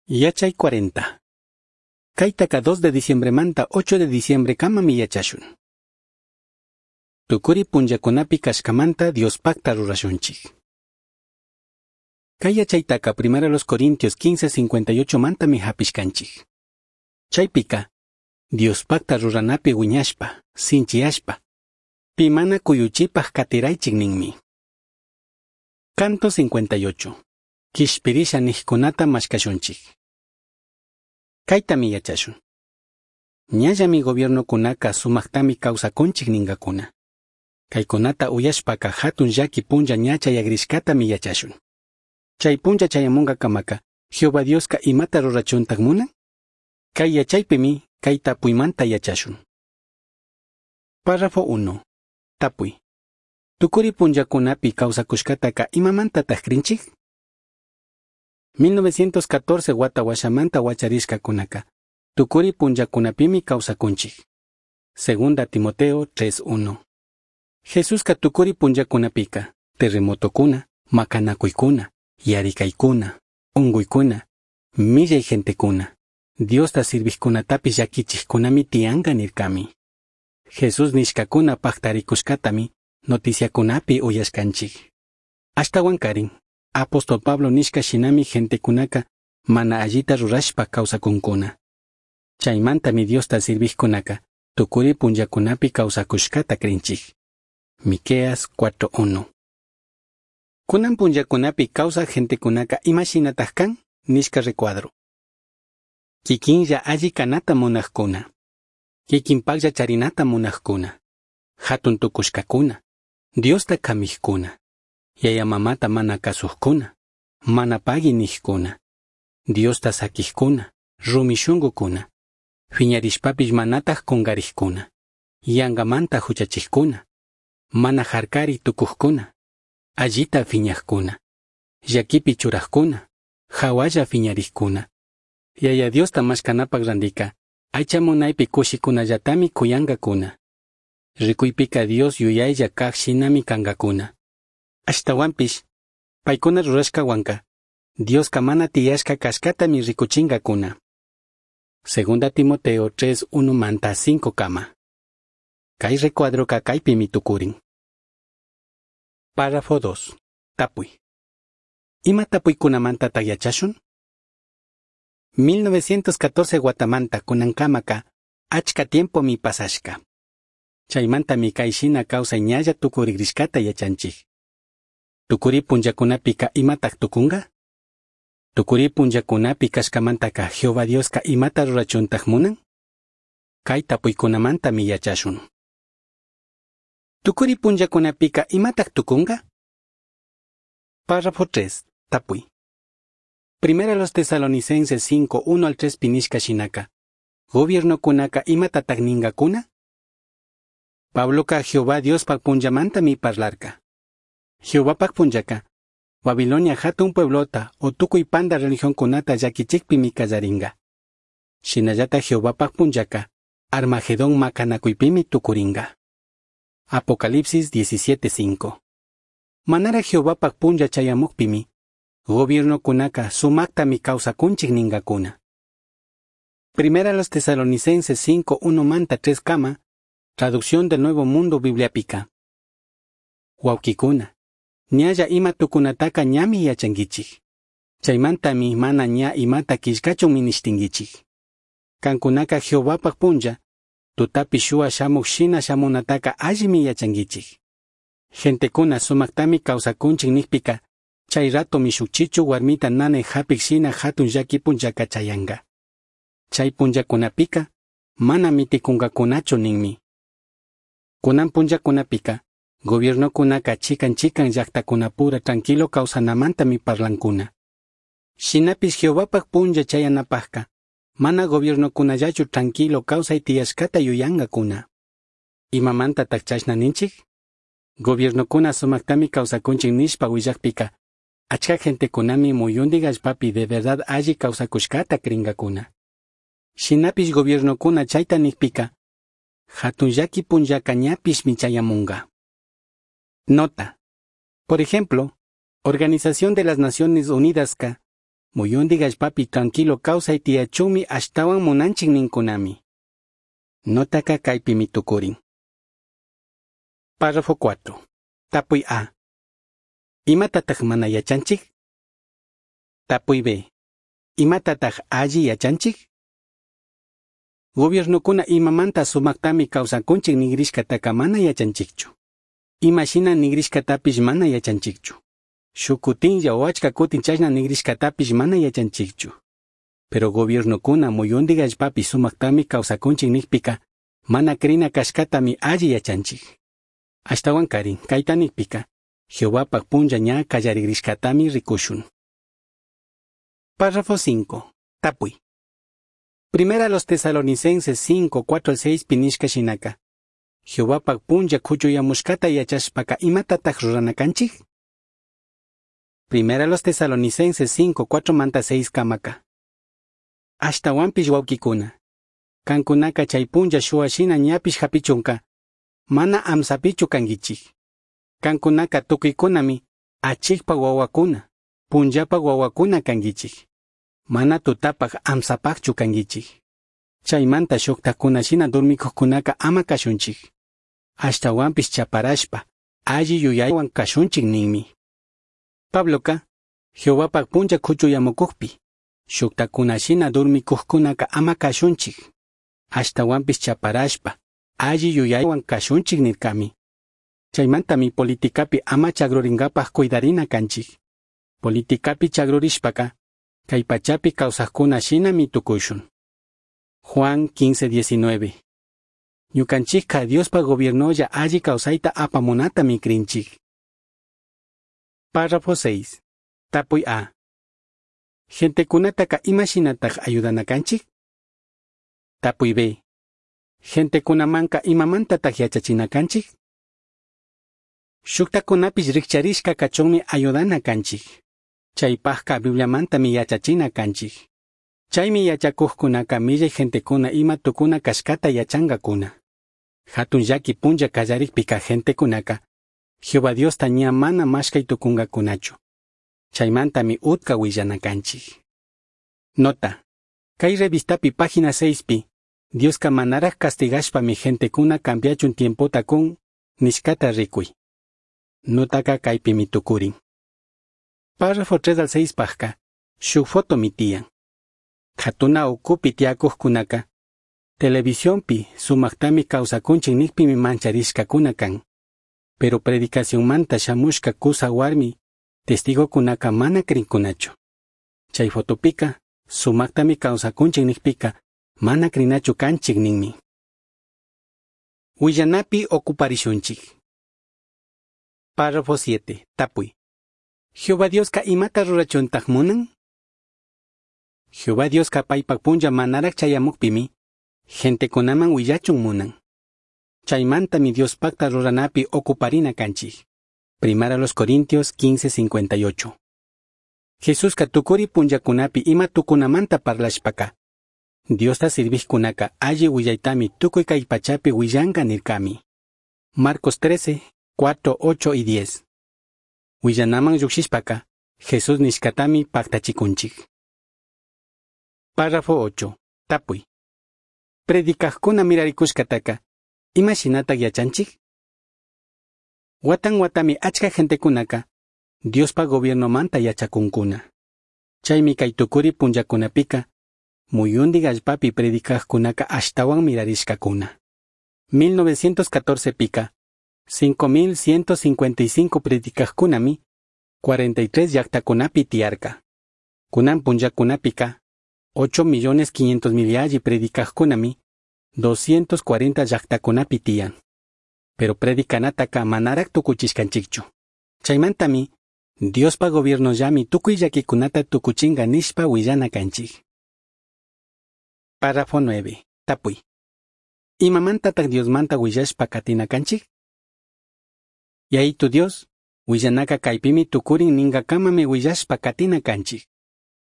Yachay 40. Kaytaka 2 de diciembremanta 8 de diciembre kamami yachashun. Tukuri punllakunapi kashkamanta Diospakta rurashunchik. Kay yachaytaka primero los Corintios 15:58 mantami hapishkanchik. Chaypika, Diospakta ruranapi wiñashpa, sinchiyashpa, pi mana kuyuchipaj katiraychik ninmi. Canto 58. Kishpirisha nijkunata mashkashunchik. Kaytami yachashun. Ñallami gobiernokunaka sumaktami kawsakunchik ninkakuna. Kaykunata uyashpaka hatun llaki punlla ña chayagrishkatami yachashun. Chay punlla chayamunkakamaka, Jehová Dioska imata rurachuntak munan? Kay yachaypimi kay tapuymanta yachashun. Párrafo 1. Tapuy. Tukuri punllakunapi kawsakushkataka imamantataq krinchik? 1914 wata washamanta wacharishkakunaka, tukuri punllakunapimi kawsakunchik. Segunda Timoteo 3:1. Jesuska tukuri punllakunapika, terremotokuna, makanakuykuna, yarikaykuna, unkuykuna, millay gentekuna, Diosta sirvijkunatapish llakichijkunami tiyanka nirkami. Jesús nishkakuna paktarikushkatami noticiakunapi uyashkanchik. Ashtawankarin, apóstol Pablo nishka shinami gentekunaka mana allita rurashpa kawsakunkuna. Chaymantami Diosta sirvijkunaka tukuri punllakunapi kawsakushkata krinchik. Miqueas 4:1. Kunan punllakunapi kawsaj gentekunaka imashinataj kan? Nishka recuadro. Kikinlla alli kanata munajkuna. Kikinpaklla charinata munajkuna. Hatun tukushkakuna. Diosta kamijkuna. Yaya mamata mana kasujkuna. Mana pagui nijkuna. Diosta sakijkuna. Rumi shungukuna. Fiñarishpapish manataj kungarijkuna. Yangamanta huchachijkuna. Mana harkari tukujkuna. Allita fiñajkuna. Llakipi churajkuna. Hawalla fiñarijkuna. Yaya Diosta mashkanapak randika, aycha munaypi kushikunallatami kuyankakuna. Rikuypika Dios yuyaylla kaj shinami kankakuna. Ashtawanpish, paykuna rurashkawanka, Dioska mana tiyashka kashkatami rikuchinkakuna. Segunda Timoteo 3:1 manta 5 kama. Kay recuadroka kaypimi tukurin. Párrafo 2. Tapuy. Ima tapuykunamantataq yachashun? 1914 watamanta kunankamaka achka tiempomi pasashka. Chaymantami kay shina kawsay ñalla tukurigrishkata yachanchik. Tukuri punllakunapika imataq tukunka? Tukuri punllakunapi kashkamantaka Jehová Dioska imata rurachuntaj munan? Kay tapuykunamantami yachashun. Tukuri punllakunapika imataq tukunka? Párrafo 3. Tapuy. Primera los Tesalonicenses 5, 1 al 3 pinishka shinaka. Gobiernokunaka imatataq ninkakuna? Pabloka Jehová Diospak punllamantami parlarka. Jehovapak punllaka, Babilonia hatun pueblota o tukuy panda religionkunata llakichikpimi kallarinka. Shinallata Jehovapak punllaka, Armagedón makanakuypimi tukurinka. Apocalipsis 17:5. Manara Jehovapak punlla chayamukpimi, gobiernokunaka sumaktami kawsakunchik ninkakuna. Primera los Tesalonicenses 5, 1 manta 3 kama, Traducción del Nuevo Mundo Bibliapika. Wawkikuna, ñalla ima tukunataka ñami yachankichik. Chaymantami mana ña imata killkachun minishtinkichik. Kankunaka Jehovapak punlla, tutapi shuwa shamuk shina shamunataka allimi yachankichik. Gentekuna sumaktami kawsakunchik nikpika, chay ratomi shuk chichu warmita nanay hapik shina hatun llaki punllaka chayanka. Chay punllakunapika, mana mitikunkakunachu ninmi. Kunan punllakunapika, gobiernokunaka chikan chikan llaktakunapura tranquilo kawsanamantami parlankuna. Shinapish Jehovapak punlla chayanapajka, mana gobiernokunallachu tranquilo kawsay tiyashkata yuyankakuna. Imamantataq chashna ninchik? Gobiernokuna sumaktami kawsakunchik nishpa willakpika, achka gentekunami muyundik allpapi de verdad alli kawsakushkata krinkakuna. Shinapish gobiernokuna chayta nikpika, hatun llaki punllaka ñapishmi chayamunka. Nota. Por ejemplo, Organización de las Naciones Unidaska, Muyundij allpapi tranquilo causai tiyachunmi ashtahuan munanchij nincunami. Notaca caipimi tucurin. Párrafo 4. Tapuy A. Imatataj mana yachanchij? Tapuy B. Imatataj alli yachanchij? Gobiernokuna imamanta sumajtami kawsakunchik nigrishkataka mana yachanchikchu. Ima shina nigrishkatapish mana yachanchikchu. Shuk kutinlla o achka kutin chashna nigrishkatapish mana yachanchikchu. Pero gobiernokuna muyundik allpapi sumajtami kawsakunchik nikpika mana crina kashkatami alli yachanchik. Ashtawankarin kayta nikpika Jehovapak punlla ña kallarigrishkatami rikushun. Párrafo 5. Tapuy. Primera los Tesalonicenses 5, 4 al 6 pinishka shinaka. Jehovapak punlla kuchuyamushkata yachashpaka imatataj rurana kanchik? Primera los Tesalonicenses 5, 4 manta 6 kamaka. Ashtawanpish wawkikuna. Kankunaka chay punlla shuwa shina ñapish hapichunka, mana amsapichu kankichik. Kankunaka tukuykunami achikpak wawakuna, punllapak wawakuna kankichik. Mana tutapak amsapakchu kankichik. Chaymanta shuktakuna shina dormikuqkunaka ama kashunchik. Ashtawanpish chaparashpa, alli yuyaywan kashunchik ninmi. Pabloka, Jehovapak punlla kuchuyamukukpi, shuktakuna shina dormikuqkunaka ama kashunchik. Ashtawanpish chaparashpa, alli yuyaywan kashunchik nirkami. Chaymantami politikapi ama chagrurinkapak cuidarina kanchik. Politikapi chagrurishpaka, kay pachapi kawsaqkuna shinami tukushun. Juan 15:19. Ñukanchikka Diospa gobiernolla alli kawsayta apamunatami krinchik. Párrafo 6. Tapuy A. Gentekunataka ima shinataj ayudana kanchik? Tapuy B. Gentekunamanka imamantataj yachachina kanchik? Shuktakunapish rikcharishka kachunmi ayudana kanchik. Chaypajka Bibliamantami yachachina kanchik. Chaymi yachakuqkunaka millay gentekuna ima tukuna kashkata yachankakuna. Hatun llaki punlla kallarikpika gentekunaka Jehová Diosta ña mana mashkay tukunkakunachu. Chaymantami utka willana kanchik. Nota. Kay revistapi página 6pi Dioska manaraj castigashpami gentekuna cambiachun tiempota kun nishkata rikuy. Notaka kaypimi tukurin. Párrafo 3 al 6 pajka, shuk fotomi tiyan. Katuna ukupi tiyakuqkunaka, televisionpi sumaqtami kawsakunchik nikpimi mancharishkakuna kan. Pero predicacionmanta shamushka kusa warmi, testigokunaka mana krinkunachu. Chay fotopika, sumaqtami kawsakunchik nikpika, mana krinachu kanchik ninmi. Willanapi ocuparishunchik. Párrafo 7. Tapuy. Jehová Dioska imata rurachuntaj munan? Jehová Dioska paypak punlla manaraj chayamukpimi, gentekunaman willachun munan. Chaymantami Diospakta ruranapi ocuparina kanchik. Primera los Corintios 15:58. Jesuska tukuri punllakunapi ima tukunamanta parlashpaka, Diosta sirvijkunaka alli willaytami tukuy kay pachapi willanka nirkami. Marcos 13, 4, 8 y 10. Willanaman llukshishpaka, Jesús nishkatami paktachikunchik. Párrafo 8. Tapuy. Predicajkuna mirarikushkataka, ima shinatak yachanchik? Watan watami achka gentekunaka, Diospa gobiernomanta yachakunkuna. Chaymi kay tukuri punllakunapika, muyundik allpapi predicajkunaka ashtawan mirarishkakuna. 1914 pika, 5155 predicajkunami, 43 llaktakunapi tiyarka. Kunan punllakunapika, 8.500.000 yalli predicajkunami, 240 llaktakunapi tiyan. Pero predicanataka manarak tukuchishkanchikchu. Chaymantami, Diospa gobiernollami tukuy llakikunata tukuchinka nishpa willana kanchik. Párrafo 9. Tapuy. Imamantataj Diosmanta willashpa katina kanchik? Yayitu Dios, willanaka kaypimi tukurin ninkakamami willashpa katina kanchik.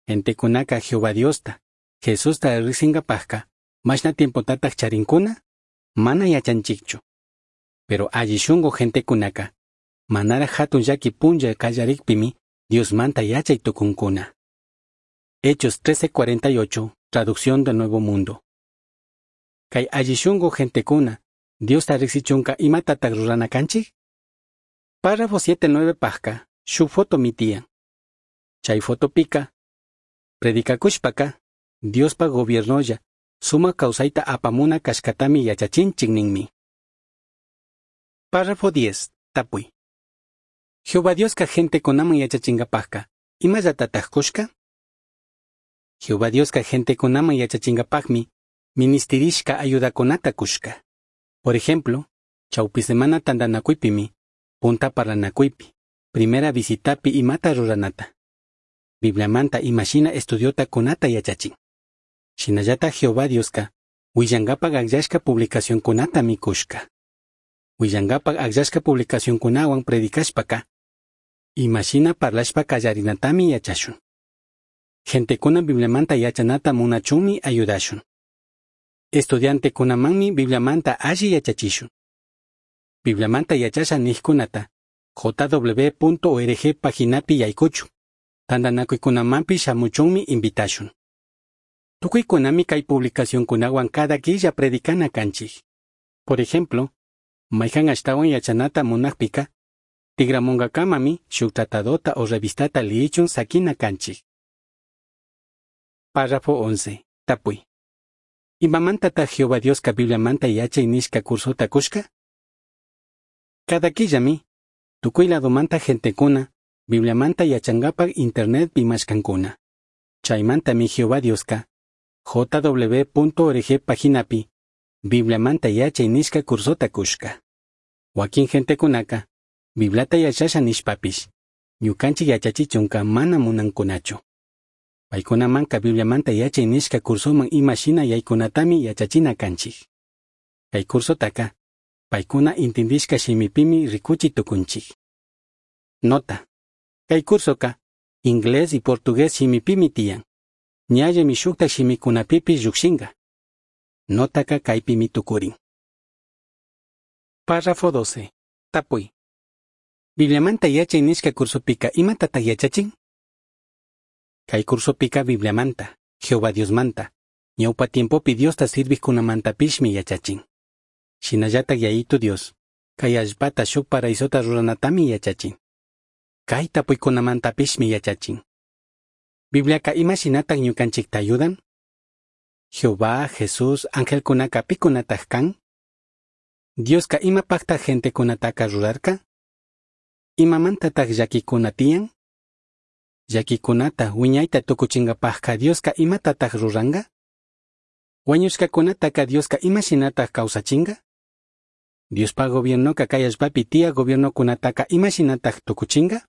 Gentekunaka Jehová Diosta, Jesusta riksinkapajka, mashna tiempotataj charinkuna? Mana yachanchikchu. Pero alli shunku gentekunaka, manaraj hatun llaki punlla kallarikpimi Diosmanta yachay tukunkuna. Hechos 13:48, Traducción del Nuevo Mundo. Kay alli shungu gentecuna, Diosta riqsichunka imatataq rurana kanchik? Párrafo 7-9 pajka, shuk fotomi tiyan. Chay fotopika, predicakushpaka, Diospa gobiernolla, sumak kawsayta apamuna kashkatami yachachinchik ninmi. Párrafo 10. Tapuy. Jehová Dioska gentekunaman yachachingapajka, imallatataq kushka? Jehová Dioska gentekunaman yachachingapajmi, ministirishka ayudakunata kushka. Por ejemplo, chawpi semana tantanakuypimi, punta parlanakuypi, primera visitapi imata ruranata. Bibliamanta imashina estudiota kunata yachachin. Shinallata Jehová Dioska, willankapak akllashka publicacionkunatami kushka. Willankapak akllashka publicacionkunawan predicashpaka, imashina parlashpa kallarinatami yachashun. Gentekuna Bibliamanta yachanata munachunmi ayudashun. Estudiantekunamanmi Bibliamanta alli yachachishun. Bibliamanta yachasha nijkunata jw.org paginapi yaykuchun. Tantanakuykunamanpish shamuchunmi invitashun. Tukuykunami kay publicacionkunawan cada killa predicana kanchik. Por ejemplo, mayhan ashtawan yachanata munakpika, tigramunkakamami shuk tratadota o revistata liyichun sakina kanchik. Párrafo 11. Tapuy. Imamantataq Jehová Dioska Bibliamanta yachay nishka cursota kushka? Cada killami, tukuy ladomanta gentekuna, Bibliamanta yachankapak internetpi mashkankuna. Chaymantami Jehová Dioska, jw.org paginapi, Bibliamanta yachay nishka cursota kushka. Wakin gentekunaka, Bibliata yachasha nishpapish, ñukanchik yachachichunka mana munankunachu. Paykunamanka Bibliamanta yachay nishka cursoman imashina yaykunatami yachachina kanchik. Kay cursotaka, paykuna intindishka shimipimi rikuchi tukunchik. Nota. Kay cursoka, inglés y portugués shimipimi tiyan. Ñallami shuktak shimikunapipish llukshinka. Notaka kaypimi tukurin. Párrafo 12. Tapuy. Bibliamanta yachay nishka cursopika imatataq yachachin? Kay cursopika Bibliamanta, Jehová Diosmanta, ñawpa tiempopi Diosta sirvijkunamantapishmi yachachin. Shinallatak Yayitu Dios, kay allpata shuk paraisota ruranatami yachachin. Kay tapuykunamantapishmi yachachin. Bibliaka imashinataq ñukanchikta ayudan? Jehová, Jesús, angelkunaka pikunataq kan? Dioska imapaqtaq gentekunataka rurarka? Imamantataq llakikuna tiyan? Llakikunata wiñayta tukuchinkapajka Dioska imatataq ruranka? Wañushkakunataka Dioska imashinataq kawsachinka? Diospa gobiernoka kay allpapi tiyak gobiernokunataka imashinataq tukuchinka?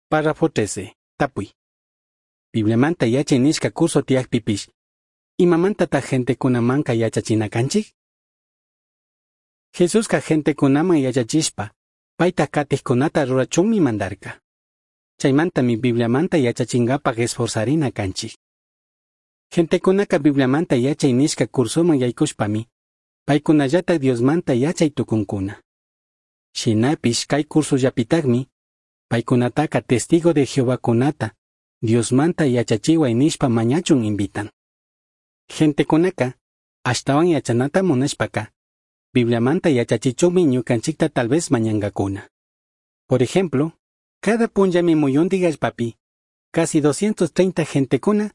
Párrafo 13. Tapuy. Bibliamanta yachay nishka curso tiyakpipish, imamantataq gentekunamanka yachachina kanchik? Jesuska gentekunaman yachachishpa, payta katijkunata rurachunmi mandarka. Chaymantami Bibliamanta yachachinkapak esforzarina kanchik. Gentekunaka Bibliamanta yachay nishka cursoman yaykushpami, paykunallatak Diosmanta yachay tukunkuna. Shinapish kay cursollapitakmi, paykunataka testigo de Jehovakunata, Diosmanta yachachiway nishpa mañachun invitan. Gentekunaka, ashtawan yachanata munashpaka, Bibliamanta yachachichunmi ñukanchikta tal vez mañankakuna. Por ejemplo, cada punllami muyuntik allpapi, casi 230 gentekuna,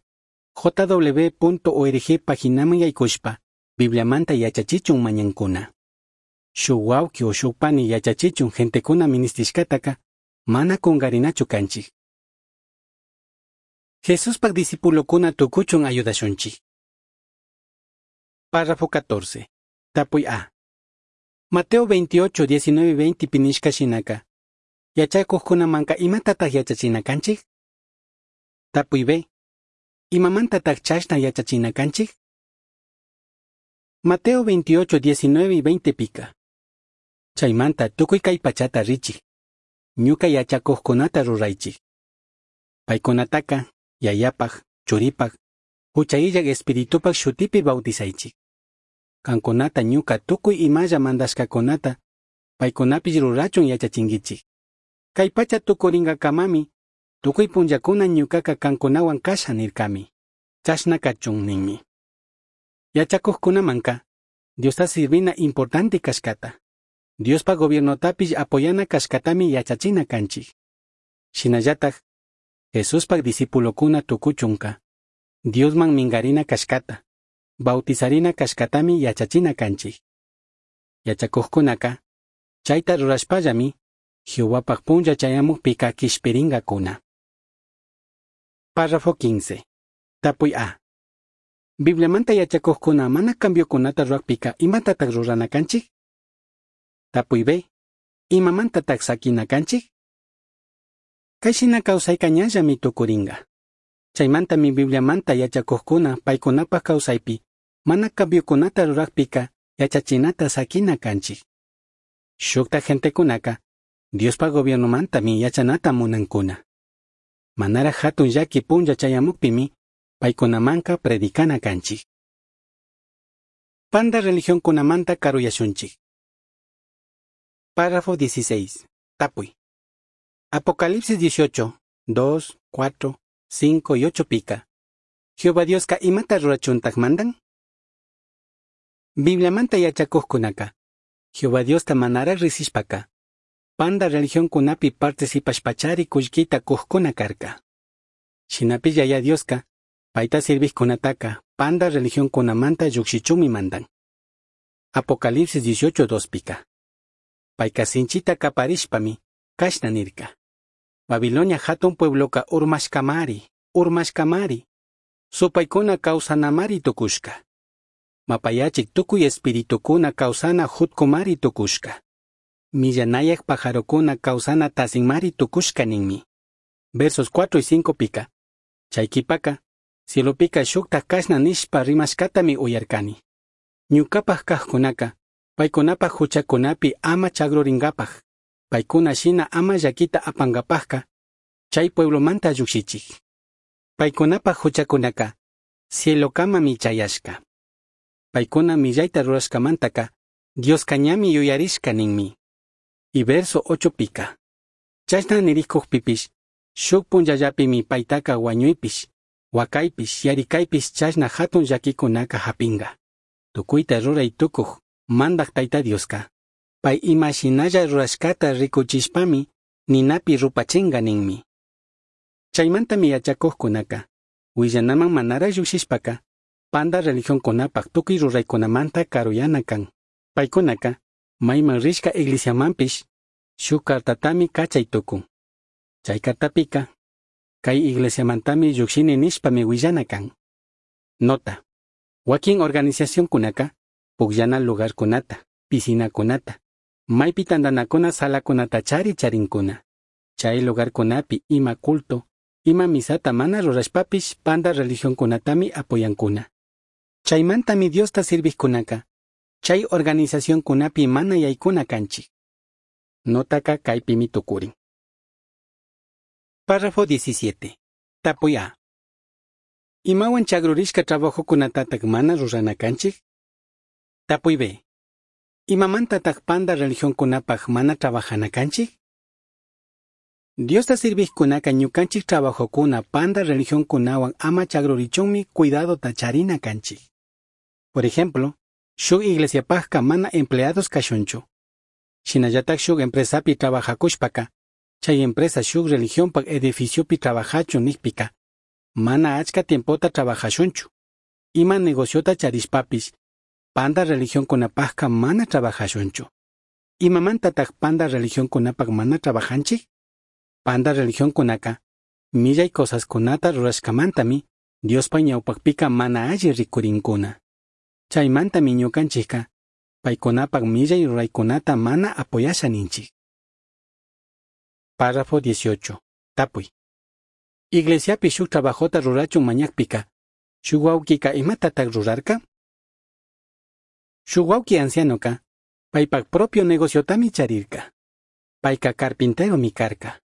jw.org paginaman yaykushpa, Bibliamanta yachachichun mañankuna. Shuk wawqi o shuk pani yachachichun gentekuna ministishkataka, mana kunkarinachu kanchik. Jesuspak discipulokuna tukuchun ayudashunchik. Párrafo 14. Tapuy A. Mateo 28, 19, 20 pinishka shinaka. Yachakujkunamanka imatataq yachachina kanchik? Tapuy B. Imamantataq chashna yachachina kanchik? Mateo 28, 19 y 20 pika. Chaymanta tukuy kay pachata richik. Ñuka yachakujkunata ruraychik. Paykunataka, Yayapaj, Churipaj, Hucha illak Espiritupak shutipi bautizaychik. Kankunata ñuka tukuy imalla mandashkakunata, paykunapish rurachun yachachinkichik. Kay pacha tukurinkakamami, Tucui punllacuna ñucaca cancunahuan casha nircami. Chashna cachun ninmi. Yachacujcunamanca, Diosta sirvina importante cashcata. Diospa gobiernotapish apoyana cashcatami yachachina canchij. Shinallataj, Jesuspa discipulocuna tucuchunca, Diosman mingarina cashcata, bautizarina cashcatami yachachina canchij. Yachacujcunaca, chaita rurashpallami, Jehovapaj punlla chayamujpica quishpiringacuna. Párrafo 15. Tapuy A. Bibliamanta yachacujcuna mana cambiocunata rurajpica imatataj rurana canchij? Tapuy B. Imamantataj saquina canchij? Cai shina causaica ñallami tucuringa. Chaimantami Bibliamanta yachacujcuna paicunapaj causaipi mana cambiocunata rurajpica yachachinata saquina canchij. Shujtaj gentecunaca Diospa gobiernomantami yachanata munancuna. Manaraj jatun llaqui punlla chayamujpimi paicunamanca predicana canchij. Panda religioncunamanta caruyashunchij. Párrafo 16. Tapuy. Apocalipsis 18, 2, 4, 5 y 8 pica. Jehová Diosca imata rurachuntaj mandan? Bibliamanta yachacujcunaca, Jehová Diosta manaraj rijsishpaca, panda religioncunapi participashpachari cullquita cujcuna carca. Shinapish Yaya Diosca, paita sirvijcunataca panda religioncunamanta llujshichunmi mandan. Apocalipsis 18, 2 pica. Paica sinchita caparishpami, cashna nirca. Babilonia jatun puebloca urmashcamari, urmashcamari. Supaicuna causanamari tucushca. Mapayachik tucui espiritucuna causana jutcumari tucushca. Millanayaj pajarocuna causana tasinmari tucushca ninmi. Versos 4 y 5 pica. Chay quipaca, cielopica shukta cashna nishpa rimashcatami uyarcani. Ñucapaj kajcunaca, paicunapaj juchacunapi ama chagruringapaj, paicuna shina ama llaquita apangapajca, chay pueblomanta llukshichij. Paicunapaj juchacunaca, cielocamami chayashca. Paicuna millaita rurashcamantaka, Diosca ñami yuyarishca ninmi. Y verso 8 pica. Chashna nirikujpipish, shuk punllallapimi paitaca huañuipish, huacaipish, yaricaipish chashna jatun llaquicunaca japinga. Tucuita rurai tucuj, mandaj Taita Diosca. Pai ima shinalla rurashcata ricuchishpami, ninapi rupachinga ninmi. Chaimantami yachacujcunaca, huillanaman manara llujshishpaca, panda religioncunapaj tucui ruraicunamanta caruyana can. Paicunaca, maiman rishca iglesiamanpish, shuk cartatami cachay tucun. Chay cartapica, cai iglesiamantami llujshini nishpami huillana can. Nota. Wakin organizacioncunaca, pugllana lugarcunata, piscinacunata, maipi tandanacuna salacunata chari charincuna. Chay lugarcunapi ima culto, ima misata mana rurashpapish panda religioncunatami apoyancuna. Chaimantami Diosta sirvijcunaca, chay organizacioncunapi mana yaicuna canchij. Notaka kaypimi tukurin. Párrafo 17. Tapuy A. Imawan chagrurishka trabajokunatataq mana rurana kanchik? Tapuy B. Imamantataq panda religionkunapaj mana trabajana kanchik? Diosta sirvijkunaka ñukanchik trabajokuna panda religionkunawan ama chagrurichunmi cuidadota charina kanchik. Por ejemplo, shuk iglesiapajka mana empleados kashunchu. Shinallatak shuk empresapi trabajakushpaka, chay empresa shuk religionpak edificiopi trabajachun nikpika, mana achka tiempota trabajashunchu. Ima negociota charishpapish, panda religionkunapajka mana trabajashunchu. Imamantataq panda religionkunapak mana trabajanchik? Panda religionkunaka, millay cosaskunata rurashkamantami, Diospa ñawpakpika mana alli rikurinkuna. Chaymantami ñukanchikka, paykunapak millay ruraykunata mana apoyasha ninchik. Párrafo 18. Tapuy. Iglesiapi shuk trabajota rurachun mañakpika, shuk wawkika imatataq rurarka? Shuk wawki ancianoka, paypak propio negociotami charirka. Payka carpinteromi karka.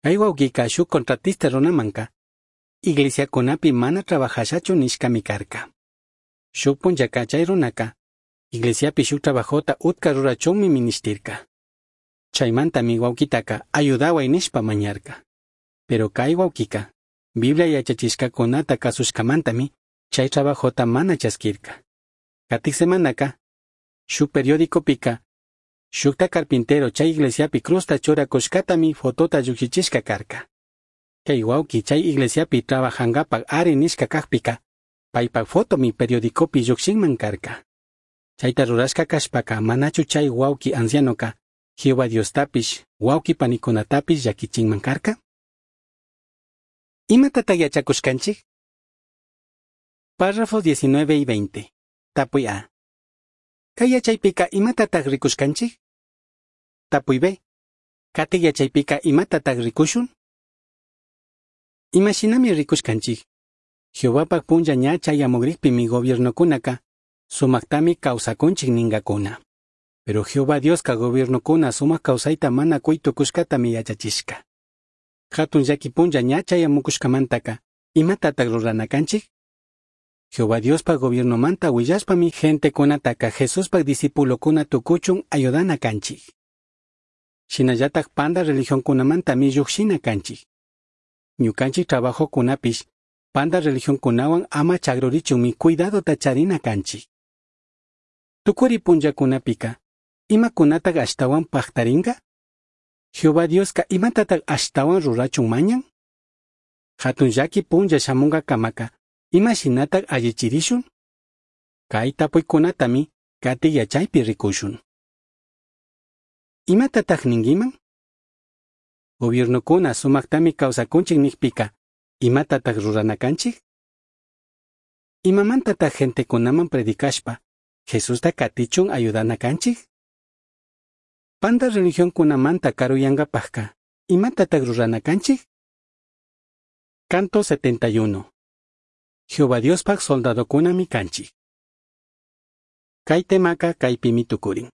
Kay wawkika shuk contratista runamanka, iglesiakunapi mana trabajashachu nishkami karka. Shuk punllaka chay runaka, iglesiapi shuk trabajota utka rurachunmi minishtirka. Chaymantami wawkitaka ayudaway nishpa mañarka. Pero cai huauquica, Biblia yachachishcacunata cazushcamantami chai trabajota mana chasquirca. Catij semanaca, shuj periodicopica, shujta carpintero chai iglesiapi cruzta churacushcatami fotota llujshichishca carca. Cai huauqui chai iglesiapi trabajangapaj ari nishca cajpica, paipaj fotomi periodicopi llujshinman carca. Chaita rurashca cashpaca manachu chai huauqui ancianoca Jehová Diostapish, huauqui panicunatapish llaquichinman carca? Imatataq yachakushkanchik? Párrafos 19 y 20. Tapuy A. Kay yachaypika imatataq rikushkanchik? Tapuy B. Katiq yachaypika imatataq rikushun? Imashinami rikushkanchik. Jehovapaj punlla ña chayamugrikpimi gobiernokunaka sumaktami kawsakunchik ningakuna. Pero Jehová Dioska gobiernokuna sumak kawsayta mana kuy tukushkatami yachachishka. Hatun llaki punlla ña chayamukushkamantaka imatataq rurana kanchik? Jehová Diospaj gobiernomanta willashpami gentekunataka Jesuspaj discipulokuna tukuchun ayudana kanchik. Shinallatak panda religionkunamantami llujshina kanchik. Ñukanchik trabajokunapish panda religionkunawan ama chagrurichunmi cuidadota charina kanchik. Tukuri punllakunapika, imakunatak ashtawan pajtarinka? Jehová Dioska imatatak ashtawan rurachun mañan? Hatun llaki punlla shamunkakamaka, imashinatak allichirishun? Kay tapuykunatami katiq yachaypi rikushun. Imatatak ninkiman? Gobiernokuna sumaktami kawsakunchik nikpika, imatatak rurana kanchik? Imamantatak gentekunaman predicashpa, Jesusta katichun ayudana kanchik? Panda religionkunamanta karuyankapajka, imatatak rurana kanchik? Canto 71. Jehová Diospaj soldadokunami kanchik. Kay temaka kaypimi tukurin.